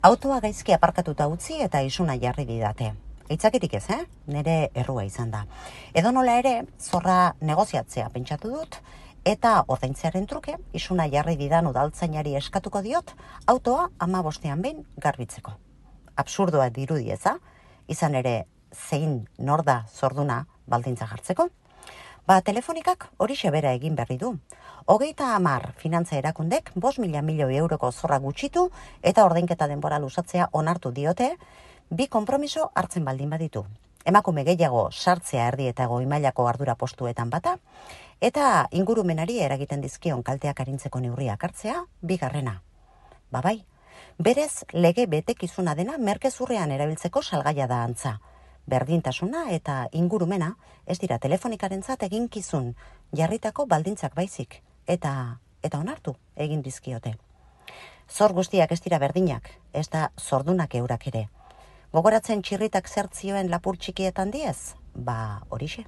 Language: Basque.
Autoa gaizki aparkatuta utzi eta isuna jarri didate. Aitzakirik ez, Nere errua izan da. Edonola ere, zorra negoziatzea pentsatu dut, eta ordaintzearen truke, isuna jarri didan udaltzainari eskatuko diot, autoa 15ean behin garbitzeko. Absurdoa dirudi eza, izan ere zein nor da zorduna baldintza jartzeko. Telefonikak horixe bera egin berri du. 30 finantza erakundek 5.000 milioi euroko zorra gutxitu eta ordainketa denbora luzatzea onartu diote, bi konpromiso hartzen baldin baditu. Emakume gehiago sartzea erdi eta goi mailako ardura postuetan bata, eta ingurumenari eragiten dizkion kalteak arintzeko neurriak hartzea, bigarrena. Bai, berez lege betekizuna dena merkezurrean erabiltzeko salgaia da antza. Berdintasuna eta ingurumena ez dira telefonikarentzat eginkizun jarritako baldintzak baizik, eta onartu egin dizkiote. Zor guztiak ez dira berdinak, ez da zordunak eurak ere. Gogoratzen txirritak zertzioen lapur txikietan diez? Horixe.